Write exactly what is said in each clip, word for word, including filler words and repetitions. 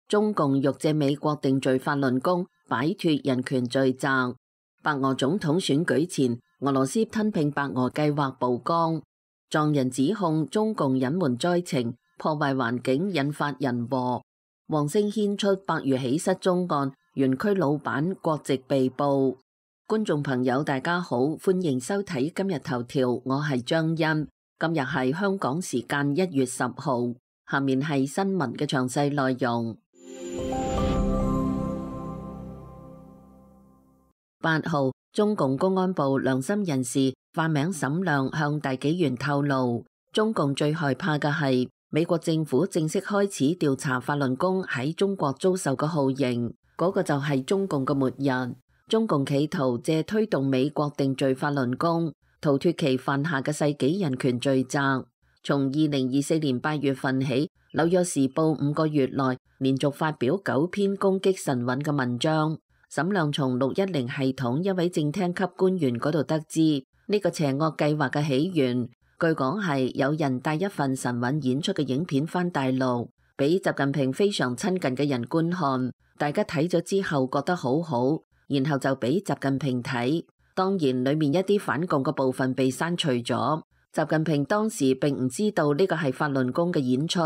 中共欲借美國定罪法輪功，擺脫人權罪責。白俄總統選舉前，俄羅斯吞併白俄計劃曝光，藏人指控中共隱瞞災情，破壞環境，引發人禍。黃星牽出百餘起失蹤案，園區老闆國籍被捕。觀眾朋友大家好，歡迎收睇今日頭條，我係張欣。今日係香港時間一月十號，下面係新聞嘅詳細內容。八號，中共公安部良心人士化名沈亮向大紀元透露，中共最害怕嘅係美國政府正式開始調查法輪功喺中國遭受嘅酷刑，嗰、那個就係中共嘅末日。中共企圖借推動美國定罪法輪功，逃脫其犯下嘅世紀人權罪責。從二零二四年八月份起，紐約時報五個月內連續發表九篇攻擊神韻嘅文章。沈亮從六一零系統一位正廳級官員嗰度得知，呢、這個邪惡計劃嘅起源，據講係有人帶一份神韻演出嘅影片返大陸，俾習近平非常親近嘅人觀看，大家睇咗之後覺得好好，然後就俾習近平睇。當然裏面一啲反共嘅部分被刪除咗，習近平當時並唔知道呢個係法輪功嘅演出，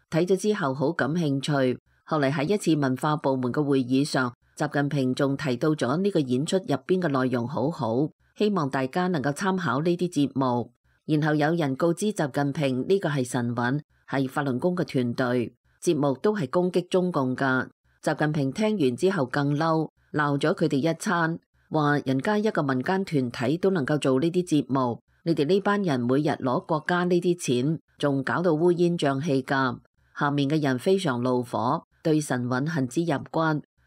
睇咗之後好感興趣。後嚟喺一次文化部門嘅會議上，習近平仲提到咗呢個演出入邊嘅內容好好，希望大家能夠參考呢啲節目。然後有人告知習近平呢個係神韻，係法輪功嘅團隊，節目都係攻擊中共噶。習近平聽完之後更嬲，鬧咗佢哋一餐，話人家一個民間團體都能夠做呢啲節目，你哋呢班人每日攞國家呢啲錢，仲搞到烏煙瘴氣噶。下面嘅人非常怒火，對神韻恨之入骨。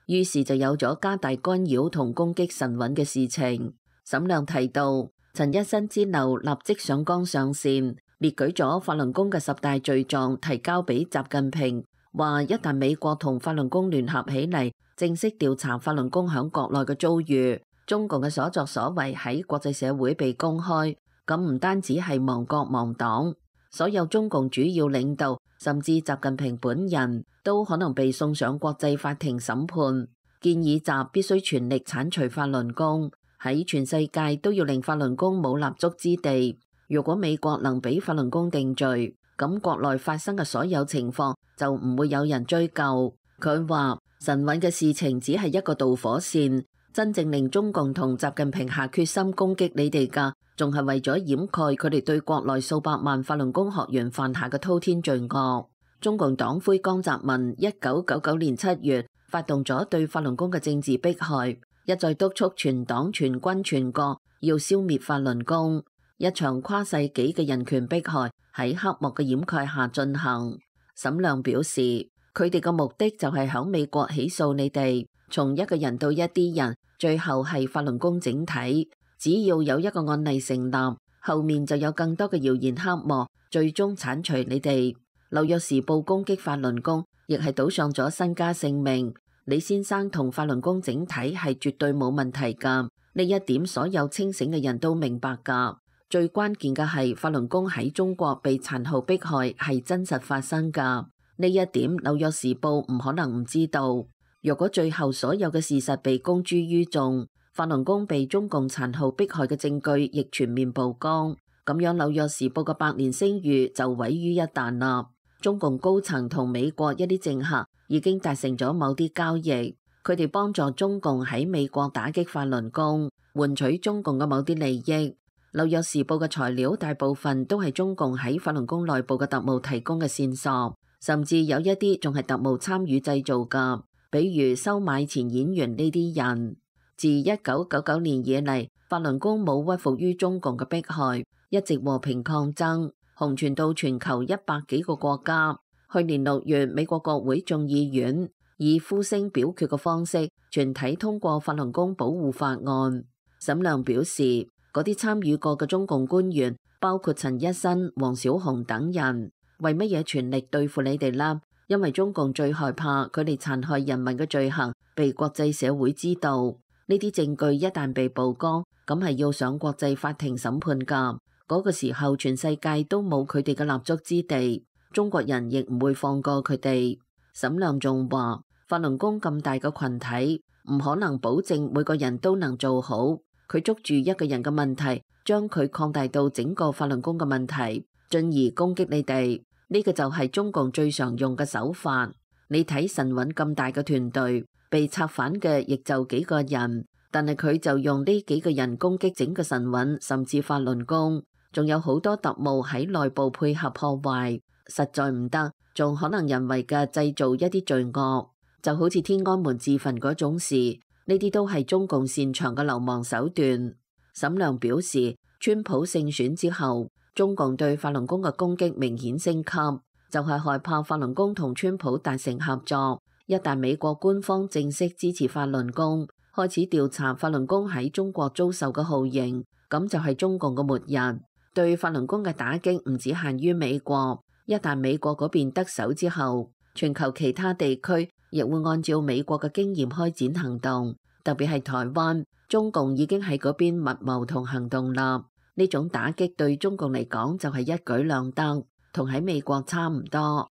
於是就有咗加大干擾同攻擊神韻嘅事情。沈亮提到，陳一新之流立即上綱上線，列舉咗法輪功嘅十大罪狀，提交俾習近平，話一旦美國同法輪功聯合起嚟，正式調查法輪功響國內嘅遭遇，中共嘅所作所為喺國際社會被公開，咁唔單止係亡國亡黨，所有中共主要領導，甚至習近平本人都可能被送上國際法庭審判。建議習必須全力剷除法輪功，喺全世界都要令法輪功冇立足之地。如果美國能俾法輪功定罪，咁國內發生嘅所有情況就唔會有人追究。佢話神韻嘅事情只係一個導火線，真正令中共同習近平下決心攻擊你哋㗎，仲係為咗掩蓋佢哋對國內數百萬法輪功學員犯下嘅滔天罪惡。中共黨魁江澤民一九九九年七月發動咗對法輪功嘅政治迫害，一再督促全黨全軍全國要消滅法輪功，一場跨世紀嘅人權迫害喺黑幕嘅掩蓋下進行。沈亮表示，佢哋嘅目的就係響美國起訴你哋，從一個人到一啲人，最後係法輪功整體。只要有一個案例成立，後面就有更多嘅謠言黑幕，最終剷除你哋。紐約時報攻擊法輪功，亦係賭上咗身家性命。李先生同法輪功整體係絕對冇問題㗎，呢一點所有清醒嘅人都明白㗎。最關鍵嘅係法輪功喺中國被殘酷迫害係真實發生㗎，呢一點紐約時報唔可能唔知道。如果最後所有嘅事實被公諸於眾，法輪功被中共殘酷迫害嘅證據亦全面曝光，咁樣紐約時報嘅百年聲譽就毀於一旦啦。中共高層同美國一啲政客已經達成咗某啲交易，佢哋幫助中共喺美國打擊法輪功，換取中共嘅某啲利益。紐約時報嘅材料大部分都係中共喺法輪功內部嘅特務提供嘅線索，甚至有一啲仲係特務參與製造㗎，比如收買前演員呢啲人。自一九九九年以嚟，法輪功冇屈服於中共嘅迫害，一直和平抗爭，紅傳到全球一百幾個國家。去年六月，美國國會眾議院以呼聲表決嘅方式，全體通過法輪功保護法案。沈亮表示，嗰啲參與過嘅中共官員，包括陳一新、黃小紅等人，為乜嘢全力對付你哋啦？因為中共最害怕佢哋殘害人民嘅罪行被國際社會知道。呢啲證據一旦被曝光，咁係要上國際法庭審判㗎。嗰個時候，全世界都冇佢哋嘅立足之地，中國人亦唔會放過佢哋。沈亮仲話，法輪功咁大個群體，唔可能保證每個人都能做好。佢捉住一個人嘅問題，將佢擴大到整個法輪功嘅問題，進而攻擊你哋。呢個就係中共最常用嘅手法。你睇神韻咁大嘅團隊，被策反嘅亦就幾個人，但係佢就用呢幾個人攻擊整個神韻，甚至法輪功，仲有好多特務喺內部配合破壞，實在唔得，仲可能人為嘅製造一啲罪惡，就好似天安門自焚嗰種事。呢啲都係中共擅長嘅流氓手段。沈亮表示，川普勝選之後，中共對法輪功嘅攻擊明顯升級，就係害怕法輪功同川普達成合作。一旦美國官方正式支持法輪功，開始調查法輪功喺中國遭受嘅酷刑，咁就係中共嘅末日。對法輪功嘅打擊唔只限於美國，一旦美國嗰邊得手之後，全球其他地區亦會按照美國嘅經驗開展行動，特別係台灣，中共已經喺嗰邊密謀同行動啦。呢種打擊對中共嚟講就係一舉兩得，同喺美國差唔多。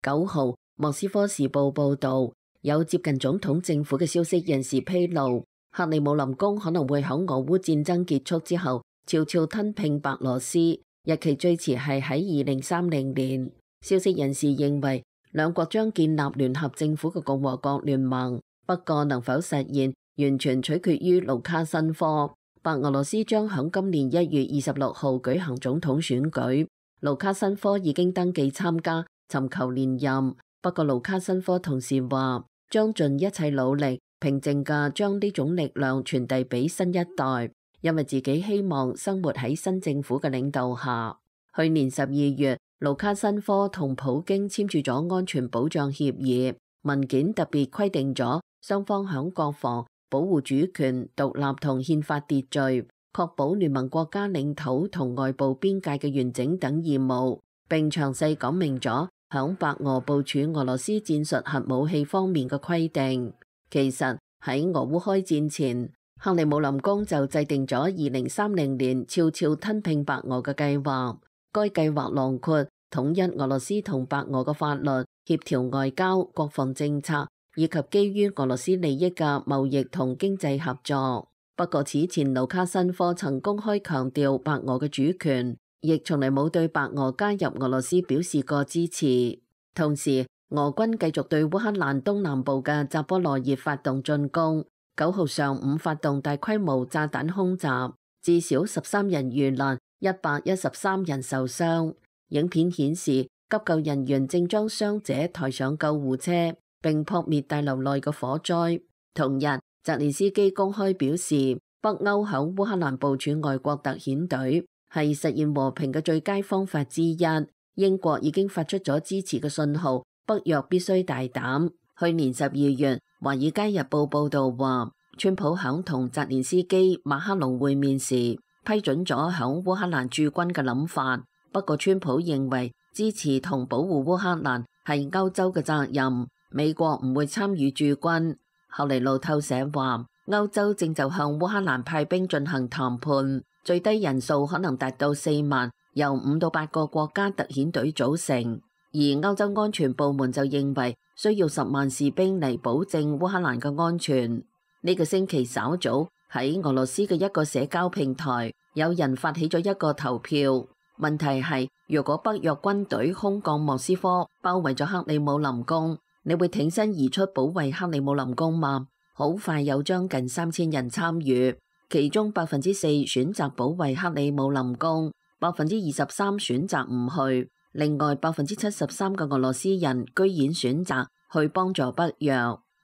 九號，莫斯科時報報導，有接近總統政府嘅消息人士披露，克里姆林宮可能會喺俄烏戰爭結束之後悄悄吞併白羅斯。日期最遲係喺二零三零年。消息人士認為，兩國將建立聯合政府嘅共和國聯盟，不過能否實現，完全取決於盧卡申科。白俄羅斯將喺今年一月二十六號舉行總統選舉，盧卡申科已經登記參加，尋求連任。不過盧卡申科同時話，將盡一切努力，平靜嘅將呢種力量傳遞俾新一代。因為自己希望生活喺新政府嘅領導下。去年十二月，盧卡申科同普京簽署咗安全保障協議，文件特別規定咗雙方響國防、保護主權、獨立同憲法秩序、確保聯盟國家領土同外部邊界嘅完整等義務，並詳細講明咗響白俄部署俄羅斯戰術核武器方面嘅規定。其實喺俄烏開戰前，克里姆林宮就制定咗二零三零年悄悄吞併白俄嘅計劃。該計劃囊括統一俄羅斯同白俄嘅法律、協調外交、國防政策，以及基於俄羅斯利益嘅貿易同經濟合作。不過此前盧卡申科曾公開強調白俄嘅主權，亦從嚟冇對白俄加入俄羅斯表示過支持。同時，俄軍繼續對烏克蘭東南部嘅扎波羅熱發動進攻。九號上午發動大規模炸彈空襲，至少十三人遇難，一百一十三人受傷。影片顯示急救人員正將傷者抬上救護車，並撲滅大樓內嘅火災。同日，澤連斯基公開表示，北歐響烏克蘭部署外國特遣隊係實現和平嘅最佳方法之一。英國已經發出咗支持嘅信號，北約必須大膽。去年十二月，《華爾街日報》報道話，川普響同澤連斯基、馬克龍會面時，批准咗響烏克蘭駐軍嘅諗法。不過，川普認為支持同保護烏克蘭係歐洲嘅責任，美國唔會參與駐軍。後嚟路透社話，歐洲正就向烏克蘭派兵進行談判，最低人數可能達到四萬，由五到八個國家特遣隊組成。而歐洲安全部門就認為需要十萬士兵嚟保證烏克蘭嘅安全。呢個星期稍早喺俄羅斯嘅一個社交平台，有人發起咗一個投票。問題係，如果北約軍隊空降莫斯科，包圍咗克里姆林宮，你會挺身而出保衛克里姆林宮嗎？好快有將近三千人參與，其中百分之四選擇保衛克里姆林宮，百分之二十三選擇唔去。另外百分之七十三嘅俄羅斯人居然選擇去幫助北約。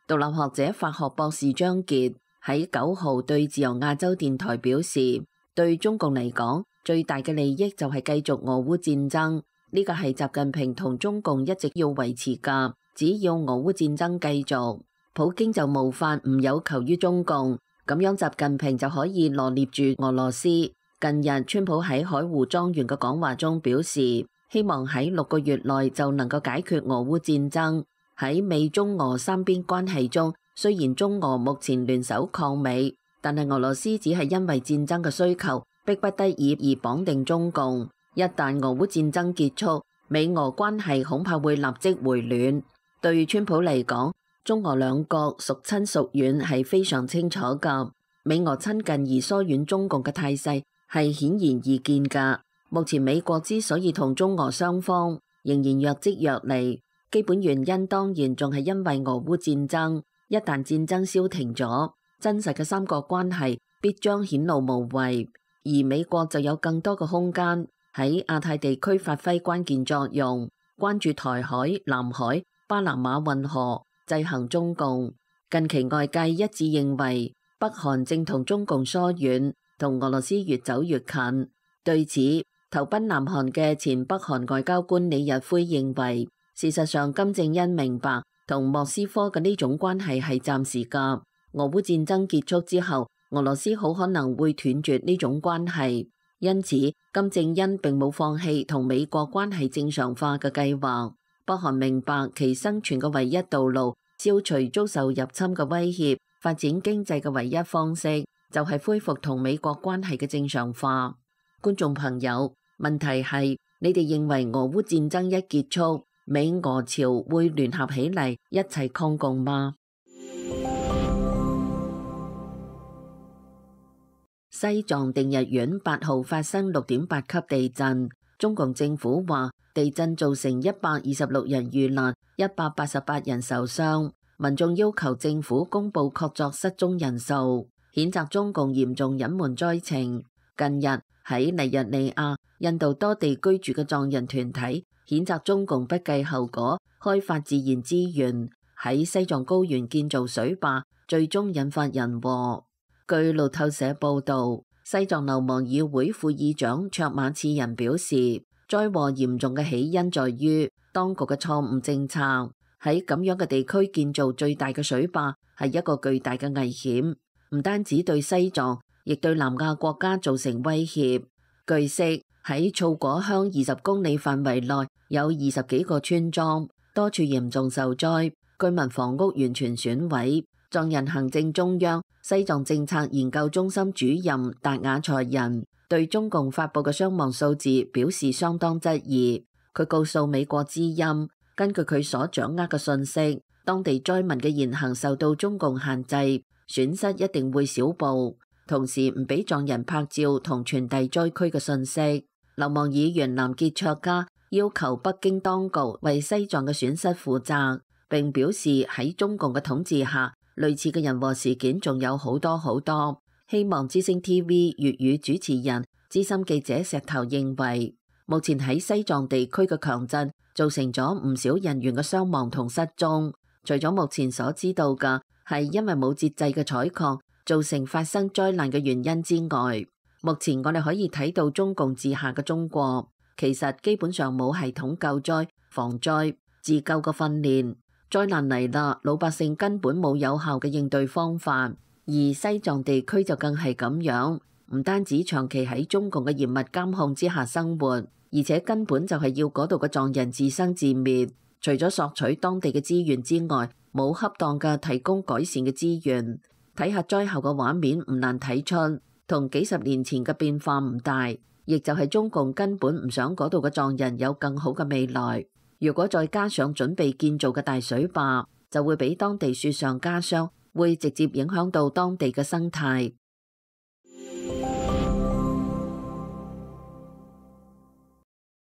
獨立學者法學博士張傑喺九號對自由亞洲電台表示，對中共嚟講，最大嘅利益就係繼續俄烏戰爭，呢個係習近平同中共一直要維持㗎。只要俄烏戰爭繼續，普京就無法唔有求於中共，咁樣習近平就可以羅列住俄羅斯。近日，川普喺海湖莊園嘅講話中表示，希望喺六個月內就能夠解決俄烏戰爭。喺美中俄三邊關係中，雖然中俄目前聯手抗美，但係俄羅斯只係因為戰爭嘅需求，迫不得已而綁定中共。一旦俄烏戰爭結束，美俄關係恐怕會立即回暖。對川普嚟講，中俄兩國孰親孰遠係非常清楚㗎。美俄親近而疏遠中共嘅態勢係顯然易見㗎。目前美國之所以同中俄雙方仍然若即若離，基本原因當然仲係因為俄烏戰爭。一旦戰爭消停咗，真實嘅三國關係必將顯露無遺，而美國就有更多嘅空間喺亞太地區發揮關鍵作用，關注台海、南海、巴拿馬運河，制衡中共。近期外界一致認為，北韓正同中共疏遠，同俄羅斯越走越近。對此，投奔南韓嘅前北韓外交官李日輝認為，事實上金正恩明白同莫斯科嘅呢種關係係暫時㗎。俄烏戰爭結束之後，俄羅斯好可能會斷絕呢種關係，因此金正恩並冇放棄同美國關係正常化嘅計劃。北韓明白其生存嘅唯一道路，消除遭受入侵嘅威脅，發展經濟嘅唯一方式就係恢復同美國關係嘅正常化。觀眾朋友，問題係你哋認為俄烏戰爭一結束，美俄朝會聯合起嚟一齊抗共嗎？西藏定日縣八號發生六點八級地震，中共政府話地震造成一百二十六人遇難，一百八十八人受傷。民眾要求政府公布確鑿失蹤人數，譴責中共嚴重隱瞞災情。近日喺尼日利亞、印度多地居住嘅藏人團體譴責中共不計後果開發自然資源，喺西藏高原建造水壩，最終引發人禍。據路透社報導，西藏流亡議會副議長卓馬次仁表示，災禍嚴重嘅起因在於當局嘅錯誤政策。喺咁樣嘅地區建造最大嘅水壩係一個巨大嘅危險，唔單止對西藏，亦對南亞國家造成威脅。據悉，喺措果鄉二十公里範圍內有二十幾個村莊，多處嚴重受災，居民房屋完全損毀。藏人行政中央西藏政策研究中心主任達雅才仁對中共發布嘅傷亡數字表示相當質疑。佢告訴美國之音，根據佢所掌握嘅信息，當地災民嘅言行受到中共限制，損失一定會小報，同時唔俾藏人拍照同傳遞災區嘅信息。流亡議員南傑卓加要求北京當局為西藏嘅損失負責，並表示喺中共嘅統治下，類似嘅人禍事件仲有好多好多。希望之聲 T V 粵語主持人資深記者石頭認為，目前喺西藏地區嘅強震造成咗唔少人員嘅傷亡同失蹤。除咗目前所知道嘅係因為冇節制嘅採礦造成發生災難嘅原因之外，目前我哋可以睇到中共治下嘅中國其實基本上冇系統救災、防災、自救嘅訓練。災難嚟啦，老百姓根本冇有效嘅應對方法，而西藏地區就更係咁樣，唔單止長期喺中共嘅嚴密監控之下生活，而且根本就係要嗰度嘅藏人自生自滅。除咗索取當地嘅資源之外，冇恰當嘅提供改善嘅資源。睇下災後嘅畫面，唔難睇出同幾十年前嘅變化唔大，亦就係中共根本唔想嗰度嘅藏人有更好嘅未來。如果再加上準備建造嘅大水壩，就會俾當地雪上加霜，會直接影響到當地嘅生態。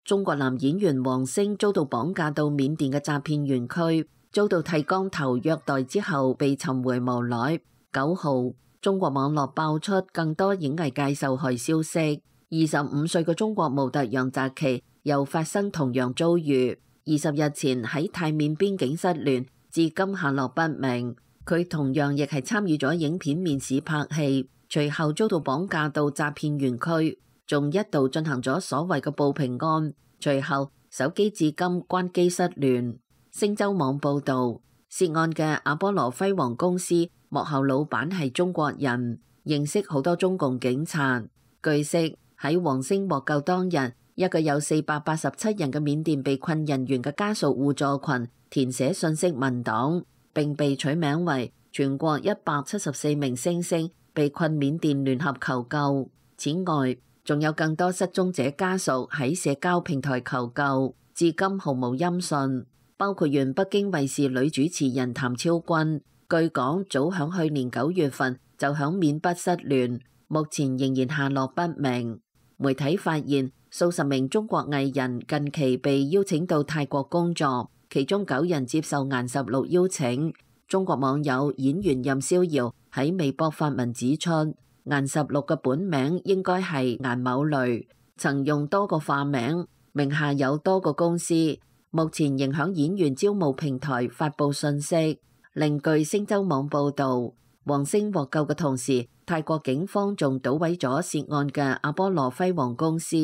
中國男演員王星遭到綁架到緬甸嘅詐騙園區，遭到剃光頭虐待之後被尋回無奈。九號，中國網絡爆出更多演藝界受害消息。二十五歲嘅中國模特楊澤奇又發生同樣遭遇。二十日前喺泰緬邊境失聯，至今下落不明。佢同樣亦係參與咗影片面試拍戲，隨後遭到綁架到詐騙園區，仲一度進行咗所謂嘅報平安。隨後手機至今關機失聯。星洲網報導，涉案嘅阿波羅輝煌公司幕後老闆係中國人，認識好多中共警察。據悉喺王星獲救當日，一個有四百八十七人嘅緬甸被困人員嘅家屬互助群填寫信息文檔，並被取名為全國一百七十四名星星被困緬甸聯合求救。此外，仲有更多失蹤者家屬喺社交平台求救。至今毫無音訊。包括原北京衛視女主持人譚超君，據講早響去年九月份就響緬北失聯，目前仍然下落不明。媒體發現數十名中國藝人近期被邀請到泰國工作，其中九人接受顏十六邀請。中國網友演員任逍遙喺微博發文指出，顏十六嘅本名應該係顏某雷，曾用多個化名，名下有多個公司，目前仍響演員招募平台發布信息。另據星洲網報導，王星獲救嘅同時，泰國警方仲搗毀咗涉案嘅阿波羅輝煌公司，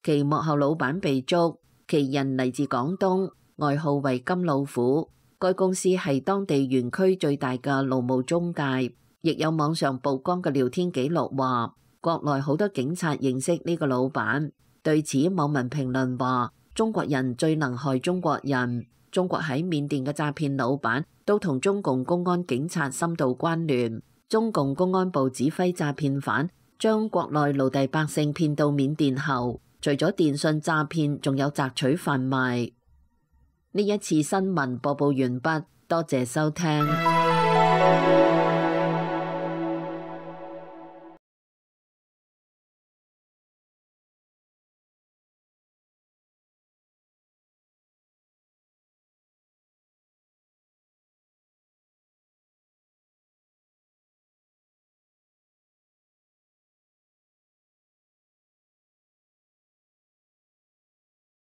其幕後老闆被捉，其人嚟自廣東，外號為金老虎。該公司係當地園區最大嘅勞務中介，亦有網上曝光嘅聊天記錄話，國內好多警察認識呢個老闆。對此，網民評論話：中國人最能害中國人。中國喺緬甸嘅詐騙老闆都同中共公安警察深度關聯。中共公安部指揮詐騙犯將國內奴隸百姓騙到緬甸後，除咗電信詐騙，仲有摘取販賣。呢一次新聞播報完畢，多謝收聽。